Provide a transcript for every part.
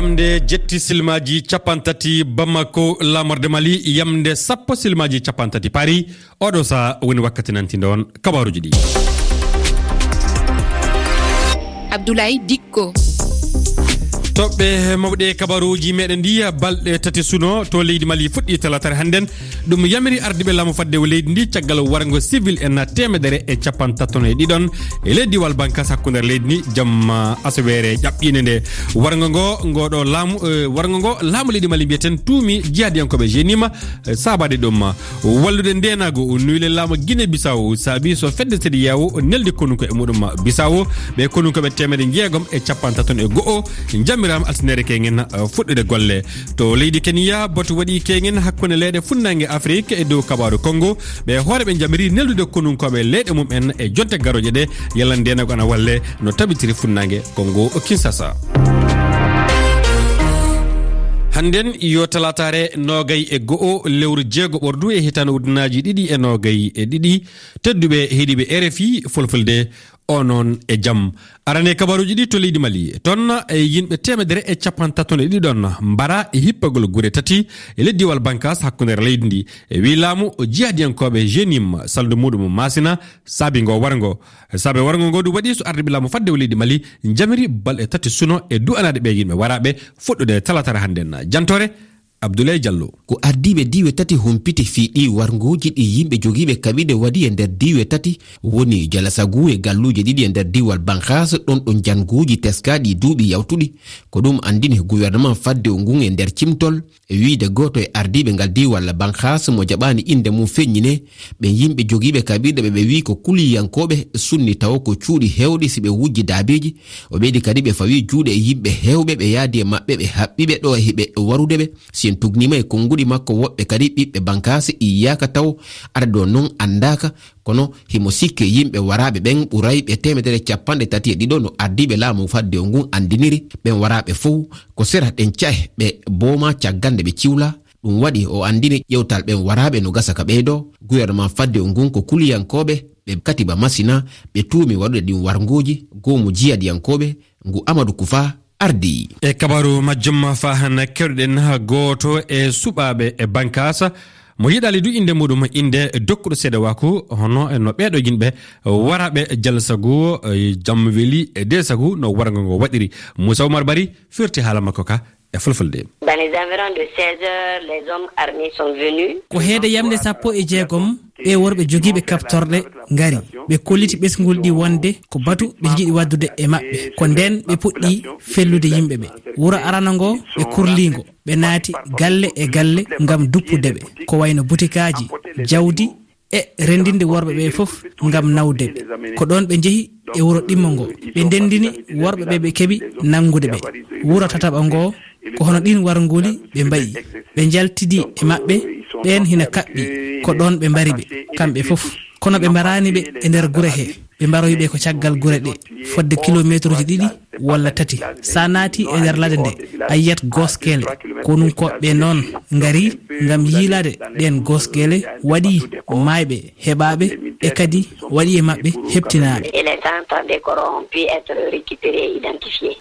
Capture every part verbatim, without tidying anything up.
Yamde jetti silmaaji cappanɗe tati Bamako, laamorde Mali, yamde sappo silmaaji cappanɗe tati Paris. Oɗo saha woni wakkati nantindo on kabaaruji ɗi. Abdoulaye Dikko. Toɓɓe mawɗe kabaaruji meɗen ndi, balɗe tati suno to leydi Mali fuɗɗi talaataare hannden. Ɗum yamiri ardiiɓe laamu faddewu leydi ndi caggal warngo civil en teemedere e cappanɗe tati e ɗiɗon e ley diiwal Bankas hakkunde leydi ndi jamma asaweere ƴaɓɓiinde nde. Warngo ngo, ngo ɗo laamu, eh, warngo ngo laamu leydi Mali mbiyeten tuumi jihadiyankooɓe G N I M, eh, saabaade ɗum. Wallude ndeenaagu, nuyle laamu Guinée Bissau saabi so fedde C E D E A O neldi konunko e muɗum Bissau. Ɓe konunkooɓe teemedde jeegom e cappanɗe tati e go'o njamiraama altine keñen, eh, fuɗɗude golle. To leydi Kenya, batu waɗi keñen hakkunde leyɗe funnaange Afrik e dow kabaaru Congo. Ɓe hooreeɓe njamiri neldude konunkooɓe leyɗe mum en e jonte garooje ɗe, yalla ndeenaagu ana walle no tabitiri funnaange Congo Kinshasa. Hannden yo talaataare noogay e go'o lewru jeego ɓordu e hitaande ujunnaaji ɗiɗi e noogay e ɗiɗi. Tedduɓe heɗiiɓe R F I Fulfulde, o noon e jam. Arane kabaaruji ɗi to leydi Mali. Toon e yimɓe teemedere e cappanɗe tati e ɗiɗon mbara e hippagol gure tati e ley diiwal Bankas hakkunde leydi ndi. E wi laamu, jihadiyankooɓe G N I M salndu muɗum Masina saabi ngo warngo. Saabe warngo ngo ɗum waɗi so ardiiɓe laamu faddewu leydi Mali njamiri balɗe tati suno e du'anaade ɓe yimɓe waraaɓe fuɗɗude talaataare hannden. Jantoore Abdoulaye Diallo. Ko ardiiɓe diiwe tati humpiti fii ɗii warngooji ɗi yimɓe jogiiɓe kaɓirɗe waɗi e nder diiwe tati, woni Jalasagu e galluuje ɗiɗi e nder diiwal Bankas, ɗon ɗo njannguuji teskaaɗi duuɓi yawtuɗi. Ko ɗum anndini gouvernement faddewu ngun e nder cimtol, e wiide gooto e ardiiɓe ngal diiwal Bankas mo jaɓaani innde mum feññinee, ɓen yimɓe jogiiɓe kaɓirɗe ɓe ɓe wii ko kuliyankooɓe sunni tawo ko cuuɗi heewɗi si ɓe wujji daabeeji. O ɓeydi kadi ɓe fawi juuɗe e yimɓe heewɓe ɓe yaadi e maɓɓe ɓe haɓɓi ɓe ɗo e hiɓe warude ɓe. Si en tugniima e konnguɗi makko, woɓɓe kadi ɓiɓɓe Bankaasi iyaaka taw, adadu on non anndaaka, kono himo sikke yimɓe waraaɓe ɓen ɓurayɓe teemedere cappanɗe tati e ɗiɗo no ardiiɓe laamu faddewu ngun anndiniri. Ɓen waraaɓe fow ko sera ɗen ca'e ɓe booma caggal nde ɓe ciwlaa. Ɗum waɗi o anndini ƴewtal ɓen waraaɓe no gasa ka ɓeydoo. Gouvernement faddewu ngun ko kuliyankooɓe ɓe katiba Masina ɓe tuumi waɗude ɗin warngooji, goomu jihadiyankooɓe ngu Amadou Koufa ardii. E kabaaru majjum, faa hannde keɗoɗen gooto e suɓaaɓe e Bankaasa mo yiɗaali du innde muɗum, innde dokkuɗo seedewaaku, hono no ɓeeɗo yimɓe waraaɓe Jalsagu, e Jamweli e Deesagu no warngo ngo waɗiri. Moussa Oumar Barry firti haala makko ka e Fulfulde. Dans les environs de seize heures, les hommes armés sont venus. Ko heede yamnde sappo e jeegom, ɓee worɓe jogiiɓe kaɓtorɗe ngari. Ɓe kolliti ɓesngol ɗi wonde ko batu ɓe njiɗi waɗdude e maɓɓe. Ko ndeen ɓe puɗɗi fellude yimɓe ɓe. Wuro arano ngo, ɓe kurlii ngo. Ɓe naati galle e galle ngam duppude ɓe. Ko wayno butikaaji, jawdi, e renndinde worɓe ɓe fof ngam nawde ɓe. Ko ɗoon ɓe njehi e wuro ɗimmo ngo. Ɓe ndenndini worɓe ɓe ɓe keɓi nanngude ɓe. Wuro tataɓo ngo, ko hono ɗiin warngooli ɓe mbayi. Ɓe njaltidi e maɓɓe, ɓeen hina kaɓɓi. Ko ɗoon ɓe mbari ɓe, kamɓe fof. Kono ɓe mbaraani ɓe e nder gure he. Ɓe mbaroyi ɓe ko caggal gure ɗe, fodde kilomeetruuji ɗiɗi walla tati. So a naati e nder ladde nde, a yiyat gooskele. Konunkooɓe ɓe noon ngari ngam yiilaade ɗeen gooskele, waɗi maayɓe heɓaaɓe e kadi waɗi e maɓɓe heɓtinaaɓe. Et les cent trente corps ont pu être récupérés et identifiés.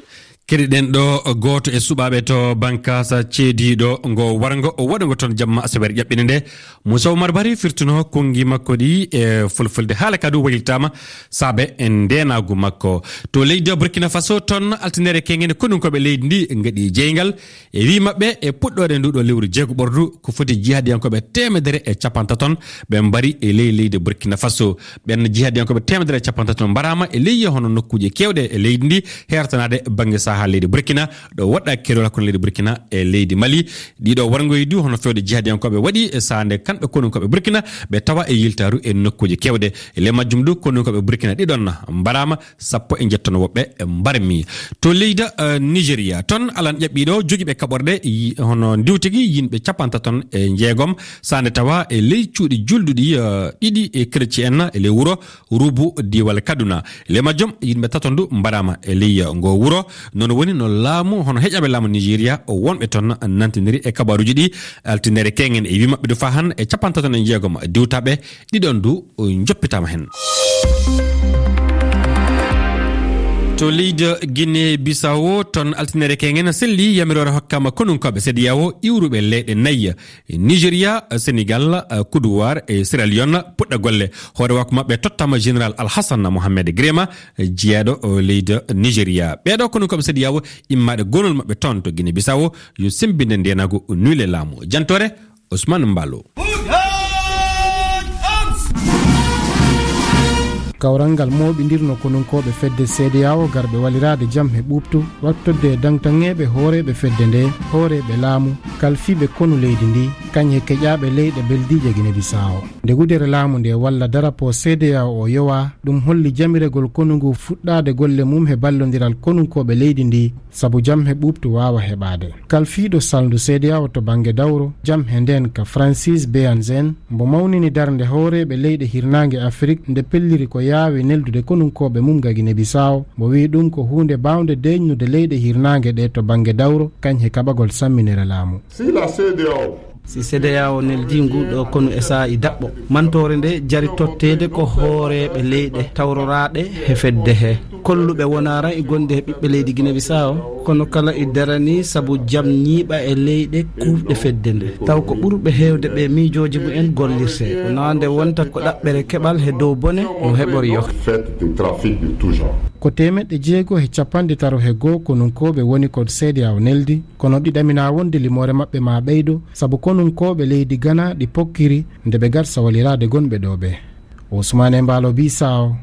Keɗiɗen ɗo gooto e suɓaaɓe to Bankaasa ceediiɗo ngo warngo, o waɗa ngo toon jamma asaweere ƴaɓɓinde nde. Moussa Oumar Barry firtuno konngi makko ɗi e Fulfulde. Haala ka du waylitaama saabe e ndeenaagu makko. To leydi Burkina Faso, toon altinere keñen konunkooɓe leydi ndi ngaɗi jeyngal e wii maɓɓe e puɗɗoore ndu ɗo lewru jeego ɓordu ko foti jihadiyankooɓe teemedere e cappantaton ɓe mbari e ley leydi Burkina Faso. Ɓen jihadiyankooɓe teemedere e cappantaton mbaraama e ley hono nokkuuje keewɗe e leydi ndi, heertanaade bannge sahaa leydi Burkina, ɗo woɗɗaaki keerol hakkunde leydi Burkina e leydi Mali. Ɗiɗo warngoyi du hono fewde jihadiyankooɓe waɗi e sahaa nde kamɓe konunkooɓe Burkina ɓe tawa e yiltaaru e nokkuuje keewɗe. E ley majjum du konunkooɓe Burkina ɗiɗon mbaraama, sappo e njetton woɓɓe mbarmi. To leydi, eh, Nigeria, toon alan ƴaɓɓiiɗo jogiiɓe kaɓorɗe yi-, hono ndiwtigi yimɓe cappantaton e jeegom, sahaa nde tawa e ley cuuɗi julduɗi, eh, ɗiɗi e chrétien e ley wuro Rubu, diiwal Kaduna. E ley majjum, yimɓe tato ndu mbaraama e ley ngo wuro. Noon woni no laamu, hono heƴaaɓe laamu Nigeria, wonɓe toon nantindiri e kabaaruuji ɗi. Altinere keñen e wii maɓɓe du faa han e cappantaton e jeegom diwtaaɓe ɗiɗon du njoppitaama heen. To leydi Guinée Bissau, toon altinere keŋen selli yamiroore hokkama konunkooɓe C D A O iwruɓe leyɗe nayi, Nigeria, Senegal, Côte d'Ivoire e Sierra Leone puɗɗa golle. Hoore wakko maɓɓe tottama Général Alhassan Mohamed Grema, jeeɗo leydi Nigeria. Ɓeeɗo konunkooɓe C D A O immaaɗe gonol maɓɓe toon to Guinée Bissau yo sembinde ndenagu nuile laamu. Jantore Ousmane Mballo. Kawral ngal mooɓindirno konunkooɓe fedde C D A O garɓe waliraade jam he ɓuuɓtu, wattorde e daŋtaŋeeɓe hooreeɓe fedde nde, hooreeɓe laamu, kalfiiɓe konu leydi ndi, kañum e keƴaaɓe leyɗe beldiije Guinée Bissau. Nde wudere laamu nde walla darapo C D A O o yowaa, ɗum holli jamiregol konu ngu fuɗɗaade golle mum he ballondiral konunkooɓe leydi ndi, sabu jam he ɓuuɓtu waawa heɓaade. Kalfiiɗo salndu C D A O to bannge dawro, jam he ndeen ka Francis Beanzen, mbo mawnini darnde hooreeɓe leyɗe hirnaange Afrik nde pelliri ko yaawi neldude konunkooɓe mum ga Guinée Bissau, mbo wiyi ɗum ko huunde baawnde deeƴnude leyɗe hirnaange ɗe to bannge dawro, kañ he kaɓagol samminere laamu. Si la C D A O Si C D A O neldi ngu ɗo konu e saa'i daɓɓo, mantoore nde jari totteede ko hooreeɓe leyɗe tawroraaɗe he fedde he, kolluɓe wonaa ran e gonde he ɓiɓɓe leydi Guinée Bissau, kono kala e darani sabu jam ñiiɓa e leyɗe kuuɓɗe fedde nde. Taw ko ɓurɓe heewde ɓe miijooji mumen gollirte, wonaa nde wonta ko ɗaɓɓere keɓal he dow bone no heɓori yo. Fête de trafic de tout genre. Ko teemeɗɗe jeego he capanɗe taro he goo konunkooɓe woni ko C D A O neldi, kono ɗi ɗamina wonde limoore maɓɓe ma ɓeydo, sabu konunkooɓe leydi Ghana ɗi pokkiri nde ɓe garsa waliraade gonɓe ɗo ɓe. Ousmane Mballo Bissau,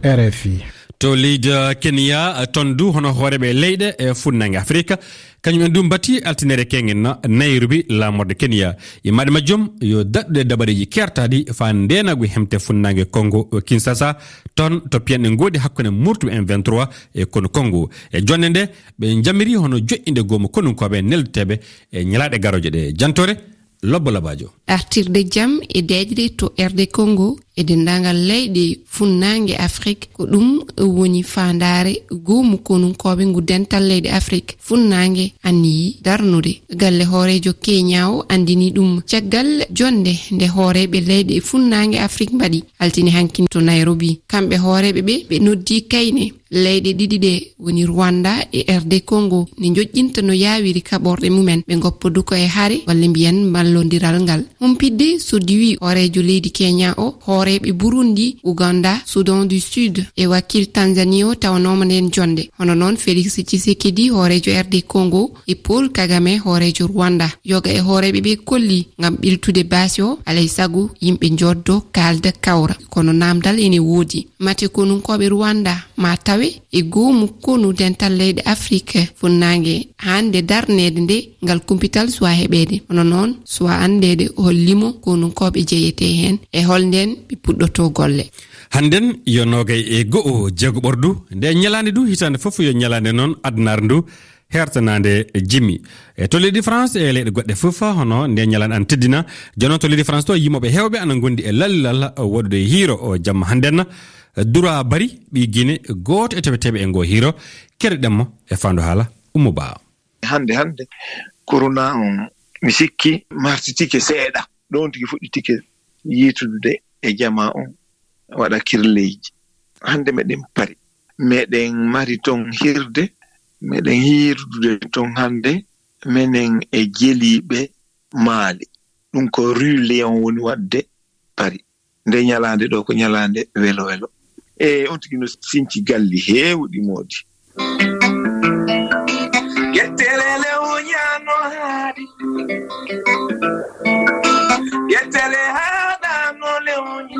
R F I. To leydi Kenya, toon du hono hooreeɓe leyɗe e funnaange Afrika, kañum en du mbati altinere keŋen Nairobi laamorde Kenya. Immaaɗe majjum yo daɗɗude dabareeji keertaaɗi faa ndeenagu hemte funnaange Congo Kinshasa, toon to piyanɗe ngoodi hakkunde murtuɓe M vingt-trois e konu Congo. E jonnde nde, ɓe njamiri hono joƴƴinde goomu konunkooɓe neldeteeɓe e ñalaaɗe garooje ɗe. Jantore, Lobbo Labaajo. Artirde jam e deeƴre to R D Congo e denndaangal leyɗe funnaange Afrik, ko ɗum woni faandaare goomu konunkooɓe ngu dental leyɗe Afrik funnaange anniyi darnude. Galle hooreejo Kenya o anndini ɗum caggal jonnde nde hooreeɓe leyɗe funnaange Afrik mbaɗi altine hanki to Nairobi. Kamɓe hooreeɓe ɓe, ɓe noddi kayne leyɗe ɗiɗi ɗe woni Rwanda e R D Congo ne njoƴƴinta no yaawiri kaɓorɗe mumen, ɓe ngoppa du ko e hare walla mbiyen ballondiral ngal. Humpitde so diwi hooreejo leydi Kenya o, hooreeɓe Burundi, Uganda, Sudan du Sud e wakiil Tanzanie o tawanooma ndeen jonnde. Hono noon Felix Tshisekedi hooreejo R D Congo e Paul Kagame hooreejo Rwanda. Yoga e hooreeɓe ɓe kolli ngam ɓiltude baasi o, alay sago yimɓe njoddo kaalda kawra. Kono naamdal ene woodi. Mate konunkooɓe Rwanda ma tawe e goomu konu dental leyɗe Afrik funnaange hannde darneede nde ngal kumpital suwa heɓeede. Hono noon suwa anndeede hol limo konunkooɓe jeyetee heen e hol ndeen ɓe puɗɗotoo golle. Hannden yo noogay e go'o jeego ɓordu nde ñalaande du hitaande fof yo ñalaande noon adnaare ndu hertanaande jimmi. E to leydi France e leyɗe goɗɗe fof hono nde ñalaande ana teddina. Jooni noon to leydi France to yimooɓe heewɓe ana ngondi e lallal waɗude hiiro o jamma hannden. Dura Bari ɓii Gine gooto e teweteeɓe e ngoo hiiro. Keɗoɗen mo e faandu haala Ummu Ba. Hannde, hannde, corona on, mi sikki, martitike seeɗa. Ɗoon tigi fuɗɗitike yiitudude e jamaa on, waɗa kirleyji. Hannde meɗen Pari. Meɗen mari ton hirde, meɗen hiirude ton hannde, menen e jeliiɓe Maali. Ɗum ko Rue Léon woni waɗde Pari. Nde ñalaande ɗo ko ñalaande welo welo. E on tigi no sinci galli heewɗi moodi. Gettele lewña no haaɗi. Gettele haaɗa no lewñi.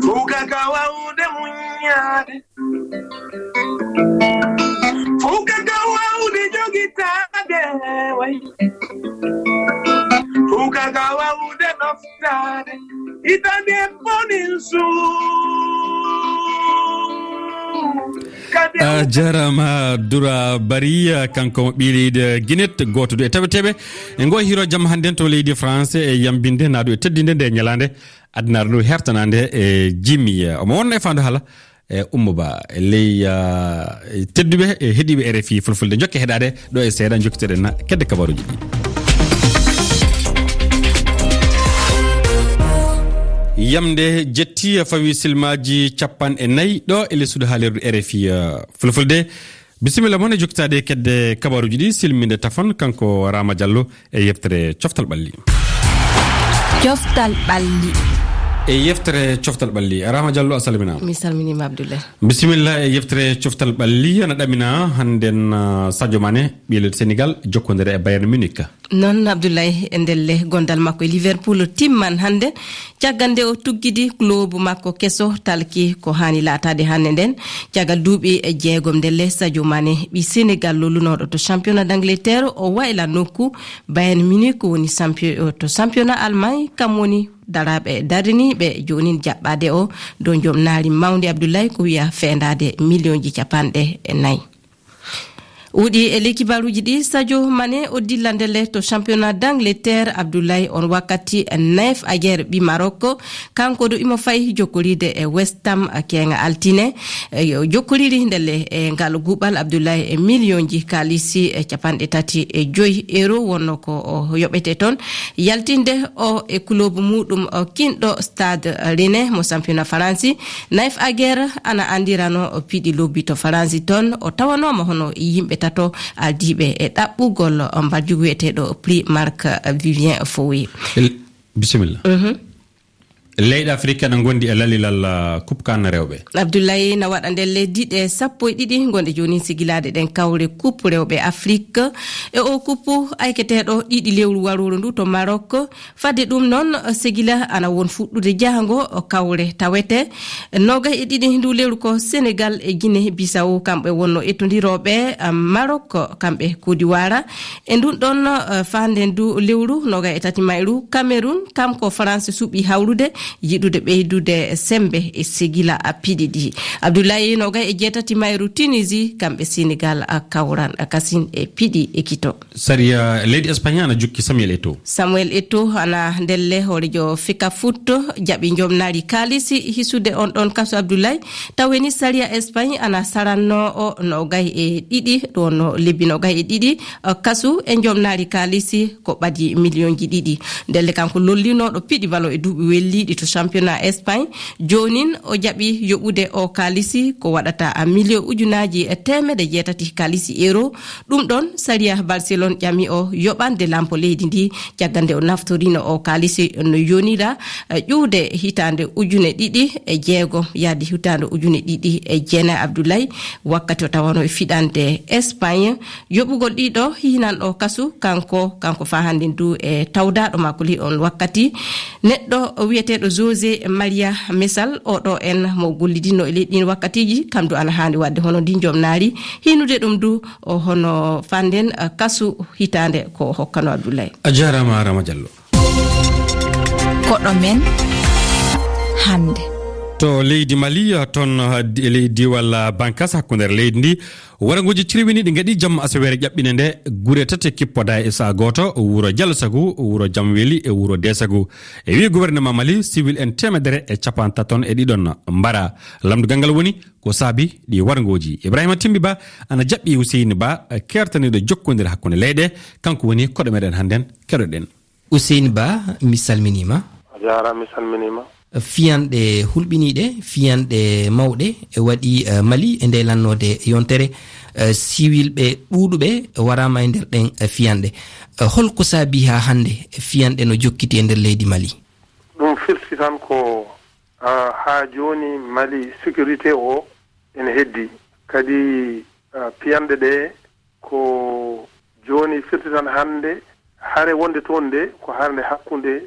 Fow kaka wawde muññaade. Fow kaka wawde jogitaade way. Fow kaka wawde ɗoftaade. Itande bonin suum. A jarama Dura Bari, kanko mo ɓii leydi Guinée, gooto du e taweteeɓe e ngo hiro jamma hannden to leydi France e yambinde naadu e teddinde nde ñalaande addunaare ndu hertanaande e jimmi. Omo wonno e faandu haala e Ummu Ba, e ley, ah, tedduɓe e heɗiiɓe R F I Fulfulde. Njokke heɗaade ɗo e seeɗa, njokkitoɗen kedde kabaruuji ɗi. Yamde jetti fawi silmaaji capanɗe nayi ɗo e lessude haalirde R F I, eh, Fulfulde. Bisimilla mon e jokkitaade e kedde kabaruuji ɗi, silminde tafon kanko Rama Diallo e yeftere Coftal Ɓalli. Coftal Ɓalli. E yeftere Coftal Ɓalli, Rama Diallo, a salminaama. Mi salminiima, Abdoulaye. Bisimilla e yeftere Coftal Ɓalli, ana ɗamina hannden, ah, Sadio Mané, ɓiye leydi Senegal, jokkondire e Bayern Munich. Noon, Abdoulaye, e ndelle gondal makko e Liverpool timman hannde, caggal nde o tuggidi club makko keso talki ko haani laataade hannde nden. Caggal duuɓi e jeegom ndelle, Sadio Mané, ɓi Senegal lolunooɗo to championnat d'Angleterre, o wayla nokku Bayern Munich woni champion-, to championnat Allemagne, kam woni daraaɓe dariniiɓe joonin jaɓɓaade o dow joom naari mawndi, Abdoulaye, ko wiya feendaade miliyonji capanɗe nayi. Wuɗi e ley kibaaruuji ɗi, Sadio Mané o dilla ndelle to championnat d'Angleterre, Abdoulaye, on wakkati Naif Aguer ɓi Maroc, kanko ɗo imo fayi jokkoriide e West Ham keeŋa altine. E, o jokkoriri ndelle e ngal guɓal, Abdoulaye, e miliyonji kaalisi e capanɗe tati e joyi euro wonno ko o yoɓete toon. Yaltinde o e kuloobu muuɗum o kinɗo Stade Rennais mo championnat Faransi. Naif Aguer ana anndirano o piɗi lobby to Faransi toon. O tawanooma hono yimɓe tato ardiiɓe e ɗaɓɓugol mbarjugu wiyeteeɗo Prix Marc Vivien Foé. El-, bisimilla. Mhm. Leyɗe Afrik ena ngondi e lalilal, ah, Coupe CAN rewɓe. Abdoulaye, na waɗa ndelle diɗe sappo e ɗiɗi gonɗe jooni sigilaade ɗen kawre Coupe rewɓe Afrik. E o Coupe ayketeeɗo ɗiɗi lewru warooru ndu to Maroc. Fadde ɗum noon, sigila ana won fuɗɗude jahango kawre tawete. Noogay e ɗiɗi ndu lewru ko Senegal e Guinée Bissau, kamɓe wonno ettondirooɓe, ah, Maroc, kamɓe Côte d'Ivoire. E ndun ɗon, eh, faande ndu lewru, noogay e tati mayru, Cameroun, kam ko France suɓi hawrude, yiɗude ɓeydude sembe e sigila a piɗi ɗi. Abdoulaye, noogay e jeetati mayru, Tunisie, kamɓe Senegal a kawran a kasin e piɗi e kito. Sariya leydi Espagne ana jukki Samuel Eto'o. Samuel Eto'o ana ndelle hoorejo Fecafoot jaɓi njomnaari kaalisi hisude on ɗon kaso, Abdoulaye. Taweni sariya Espagne ana saranno o noogay e ɗiɗi, ɗo no lebbi noogay e ɗiɗi, eh, kasu e njomnaari kaalisi ko ɓadi miliyonji ɗiɗi. Ndelle kanko lollinooɗo piɗi balo e duuɓi welliiɗi to championnat Espagne. Joonin o jaɓi yoɓude o kaalisi ko waɗata a miliyon ujunaaji e teemedde jeetati kaalisi euro. Ɗum ɗon sariya Barcelone ƴami o yoɓande lampo leydi ndi caggal nde o naftorino o kaalisi no yonira, eh, ƴuwde hitaande ujune ɗiɗi e jeego yahde hitaande ujune ɗiɗi e jeenayi, Abdoulaye, wakkati o tawano e fiɗande Espagne. Yoɓugol ɗiɗo hinan o kasu kanko, kanko faa hannde ndu e tawdaaɗo makko li on wakkati. Neɗɗo wiyeteeɗo José Maria Mesal, oɗo en mo gollidinno e leydi ɗin wakkatiji, kam du ana haani waɗde hono ndi jomnaari. Hinude ɗum du o hono fanden, eh, kasu hitaande ko o hokkano Abdoulaye. A jaaraama, Rama Diallo. Koɗo men hannde. To leydi Mali, toon, eh, di-, e ley diiwal, eh, Bankas hakkunde leydi ndi, warangooji cirwiniiɗi ngaɗi jamma asaweere ƴaɓɓinde nde gure tati kippodaa e saha gooto, wuro Jalsagu, wuro Jamweli e wuro Desagu. E wi'i gouvernement Mali, civil en teemedere e capanɗe taton e ɗiɗon mbara. Lamndugal ngal woni ko saabi ɗi warngooji. Ibrahima Timbi Ba ana jaɓɓi Huseyni Ba, eh, keertaniiɗo jokkondire hakkunde leyɗe, kanko woni koɗo meɗen hannden, keɗoɗen. Huseyni Ba, mi salminiima. A jaaraama, mi salminiima. Fiyanɗe hulɓiniiɗe, fiyanɗe mawɗe e waɗi, eh, Mali e nde lannoode yontere, eh, siwilɓe ɗuuɗuɓe waraama e nder ɗen, eh, fiyanɗe. Eh, holko saabi haa hannde fiyanɗe no jokkiti e nder leydi Mali? Ɗum firti tan ko, ah, haa jooni Mali sécurité o ene heddi. Kadi, ah, piyanɗe ɗe ko jooni firti tan hannde hare wonde toon nde ko hare nde hakkunde,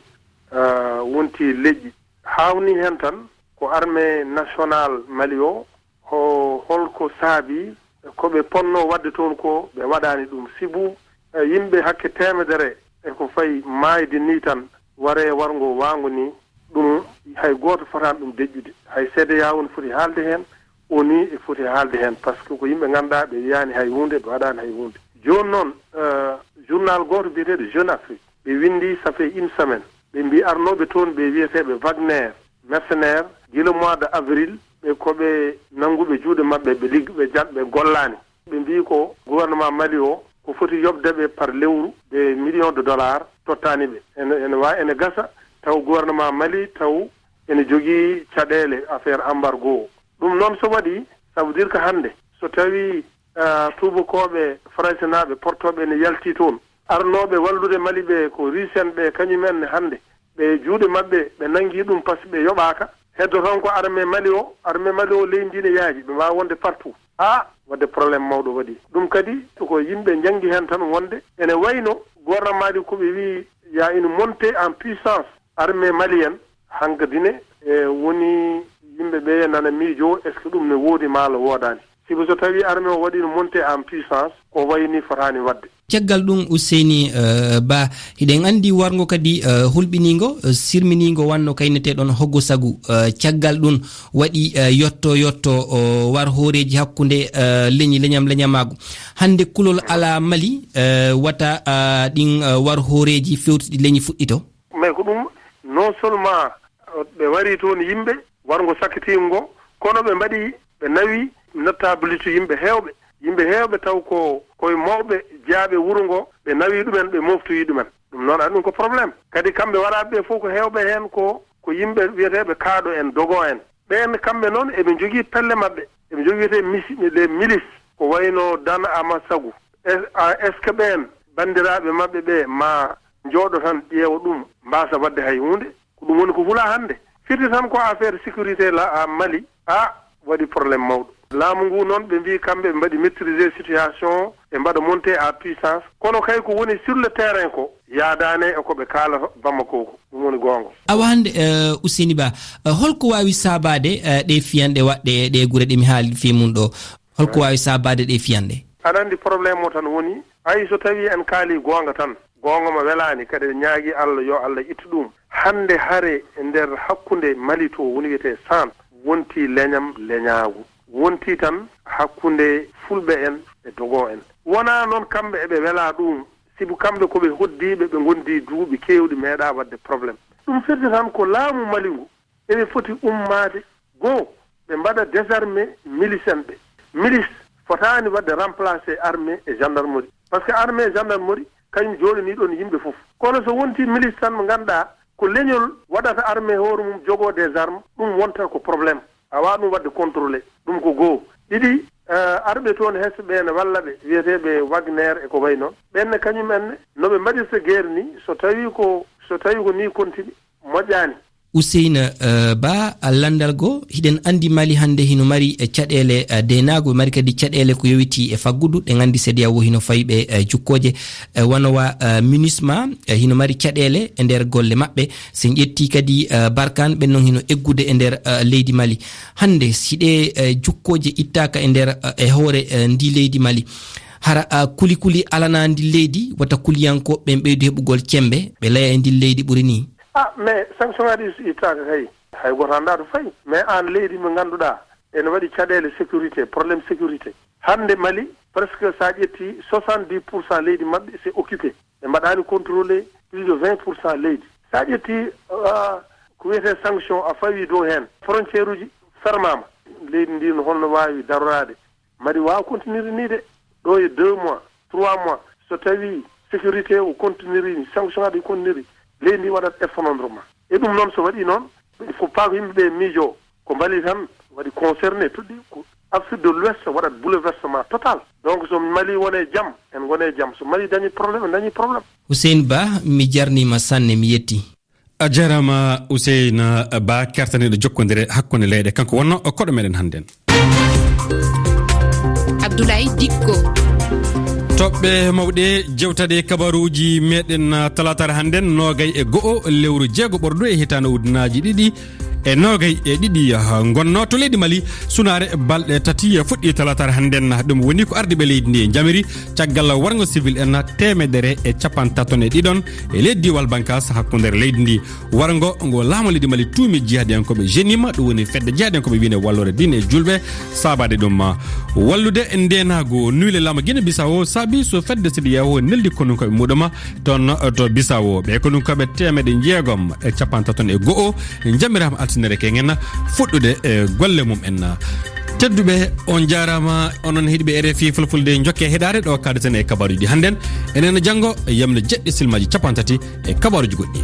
ah, wonti leƴƴi. Haawnii heen tan ko armée nationale Mali o, ho-, holko saabii ko ɓe ponnoo waɗde toon ko ɓe waɗaani ɗum. Sibu, eh, yimɓe hakke teemedere e ko fayi maayde nii tan, waree warngo waango nii, ɗum hay gooto fotaani ɗum deƴƴude. Hay C D A O ne foti haalde heen, O N U e foti haalde heen, par ce que ko yimɓe ngannduɗaa ɓe yiyaani hay huunde, ɓe waɗaani hay huunde. Jooni noon, eh, journal gooto biyeteeɗo Jeune Afrique, ɓe winndi, ça fait une semaine, ɓe mbii arnooɓe toon ɓe wiyeteeɓe Wagner, mercenaire, gila mois de avril, ɓe ko ɓe nannguɓe juuɗe maɓɓe, ɓe ligg-, ɓe jan-, ɓe gollaani. Ɓe mbii ko gouvernement Mali o, ko foti yoɓde ɓe par lewru des millions de dollars, tottaani ɓe. Ene, ene waawi, ene gasa taw gouvernement Mali taw ene jogii caɗeele affaire embargo o. Ɗum noon so waɗii, ça veut dire que hannde so tawii, ah, tuubakooɓe faransinaaɓe portooɓe ene yalti toon, arnooɓe wallude Mali ɓe ko Russe en ɓe, kañum en ne hannde ɓe juuɗe maɓɓe, ɓe nanngi ɗum par ce que ɓe yoɓaaka. Heddo tan ko armée Mali o, armée Mali o leydi ndi ne yaaji, ɓe mbaawa wonde partout. Ah, wadde problème mawɗo waɗi. Ɗum kadi ko yimɓe njanngi heen tan wonde ene wayno gouvernement ɗi ko ɓe wiyi ya une montée en puissance armée malienne, hankadi ne, e, woni yimɓe ɓe nana miijo, est-ce que ɗum ne woodi maa woodaani? Sibu so tawii armée o waɗiino montée en puissance, ko wayi ni fotaani waɗde. Caggal ɗum, Useyni, eh, Ba, hiɗen anndi warngo kadi, eh, hulɓiniingo, eh, sirminiingo wanno kayneteeɗon Hoggo Sagu. Eh, caggal ɗum waɗi, eh, yotto yotto o war hooreeji hakkunde, eh, leñi leñam leñamaagu. Hannde kulol alaa Mali, eh, wata, ah, ɗin, eh, war hooreeji fewtuɗi leñi fuɗɗito? Mais ko ɗum, non seulement, eh, ɓe wari toon yimɓe, warngo sakkitiingo ngo, kono ɓe mbaɗi, ɓe nawi notabilité yimɓe heewɓe. Yimɓe heewɓe taw ko koye mawɓe jeyaaɓe wuro ngo, ɓe nawi ɗumen, ɓe moftoyi ɗumen. Ɗum noon, aɗa ɗum ko problème. Kadi kamɓe waraaɓe ɓe fof ko heewɓe heen ko, ko yimɓe wiyeteeɓe kaaɗo en, dogo en. Ɓeen kamɓe noon eɓe njogii pelle maɓɓe. Eɓe njogii wiyetee misi-, les milices, ko wayno Dan Ama Sagu. Es-, a, est-ce que ɓeen banndiraaɓe maɓɓe ɓe ma njooɗo tan ƴeewa ɗum, mbaasa waɗde hay huunde? Ko ɗum woni ko hula hannde. Firti tan ko affaire sécurité la, a Mali, a waɗi problème mawɗo. Laamu ngu noon, ɓe mbii kamɓe ɓe mbaɗi maîtriser situation, ɓe mbaɗa montée à puissance. Kono kay ko woni sur le terrain ko yaadaani e ko ɓe kaalata Bamako ko. Ɗum woni goonga. Awa hannde, eh, Useni Ba, eh, holko waawi saabaade, eh, ɗe fiyanɗe waɗɗe e ɗe gure ɗe mi haali fii mum ɗo? Holko waawi saabaade ɗe fiyanɗe? Aɗa anndi problème o tan woni, hay so tawii en kaalii goonga tan, goonga ma welaani, kadi en ñaagii Allah yo Allah ittu ɗum. Hannde hare e nder hakkunde Mali to woni wiyetee San, wontii leñam leñaagu. Wontii tan hakkunde fulɓe en e dogo en. Wonaa noon kamɓe eɓe welaa ɗum, sibu kamɓe ko ɓe hoddiiɓe, ɓe ngondi duuɓi keewɗi meeɗaa waɗde problème. Ɗum firti tan ko laamu Mali ngu ene foti ummaade goo, ɓe mbaɗa désarmé milice en ɓe. Milice fotaani waɗde remplacé armée e gendarmerie. Par ce que armée e gendarmerie, kañum jooɗanii ɗoon yimɓe fof. Kono so wontii milice tan mo ngannduɗaa ko leñol waɗata armée hoore mum jogoo des armes, ɗum wonta ko problème. A waawaa ɗum waɗde contrôlé. Ɗum ko goo. Ɗiɗi, eh, arɓe toon hesɓe ɓe ne walla ɓe, wiyeteeɓe Wagner e ko wayi noon. Ɓeen ne kañum en ne, no ɓe mbaɗirta guerre ni, so tawii ko, so tawii ko ni continue, moƴƴaani. Useyna, eh, Ba, a lanndal goo, hiɗen anndi Mali hannde hino mari, eh, caɗeele, eh, deenaagu, mari kadi caɗeele ko yowitii e faggudu. Ɗen anndi C D A O hino fawi ɓe, eh, jukkooje, eh, wano wa, eh, MINUSMA, eh, hino mari caɗeele e nder golle maɓɓe. Si en ƴettii kadi, eh, Barkaan, ɓen non hino eggude e nder, eh, leydi Mali. Hannde, si ɗee, eh, jukkooje ittaaka e nder, eh, e hoore, eh, ndi leydi Mali, hara, eh, kuli kuli alanaa ndi leydi, wata kuliyankooɓe ɓen ɓeydu heɓugol cemmbe, ɓe laya e ndi leydi ɓuri nii. Ah, mais sanction ŋaaji ɗi so ittaaka kay, hay gooto anndaa to fayi. Mais aan leydi mo ngannduɗaa ene waɗi caɗeele sécurité, problème sécurité. Hannde Mali, presque so a ƴettii, soixante-dix pour cent leydi maɓɓe, c'est occupé. Ɓe mbaɗaani contrôlé plus de vingt pour cent leydi. So a ƴettii, ah, ko wiyetee sanction, a fawii dow heen. Frontière uji fermaama. Leydi ndi no holno waawi daroraade? Mali waawa continuer nii de. Ɗo e deux mois, trois mois, so tawii sécurité o continuerii, sanction ŋaaji ɗi continuerii, leydi ndi waɗat effondrement. E ɗum noon, so waɗii noon, il faut pas ko yimɓe ɓe miijoo ko Mali tan waɗi concerné, toɗɗii ko Afrique de l'Ouest waɗat bouleversement total. Donc, so Mali woni e jam, en ngoni e jam. So Mali dañi problème, en dañi problème. Hussein Ba, mi jarniima sanne, mi yetti. A jarama Hussein Ba, kertaniiɗo jokkondire hakkunde leyɗe, kanko wonno koɗo meɗen hannden. Abdoulaye Dikko. Toɓɓe mawɗe, jewtaɗe kabaruuji meɗen, ah, talaataare hannden, noogay e go'o lewru jeego ɓordu e hitaande ujunaaji ɗiɗi e noogay e ɗiɗi, ah, ngonno to leydi Mali. Sunaare balɗe tati fuɗɗi talaataare hannden. Ɗum woni ko ardiiɓe leydi ndi njamiri caggal warngo civil en teemedere e capantato e ɗiɗon e leydi diwal Bankas hakkunde leydi ndi. Warngo ngo laamu leydi Mali tuumi jihadiyankooɓe Jenima, ɗum woni fedde jihadiyankooɓe wiyne walloore diine e julɓe, saabaade ɗum wallude ndeenaagu. Nuyle laamu Guinée Bissau saabi so fedde C D A O neldi konunkooɓe muɗum toon to Bissau. Ɓe konunkooɓe teemeɗe jeegom e capantato e go'o njamiraama altine keñen fuɗɗude e golle mum en. Tedduɓe, on njaaraama, onon heɗiiɓe R F I Fulfulde, njokke heɗaade ɗo kaadeten e kabaruuji hannden. Enen janngo yamde jeɗɗi silmaaji capantati e kabaruuji goɗɗi.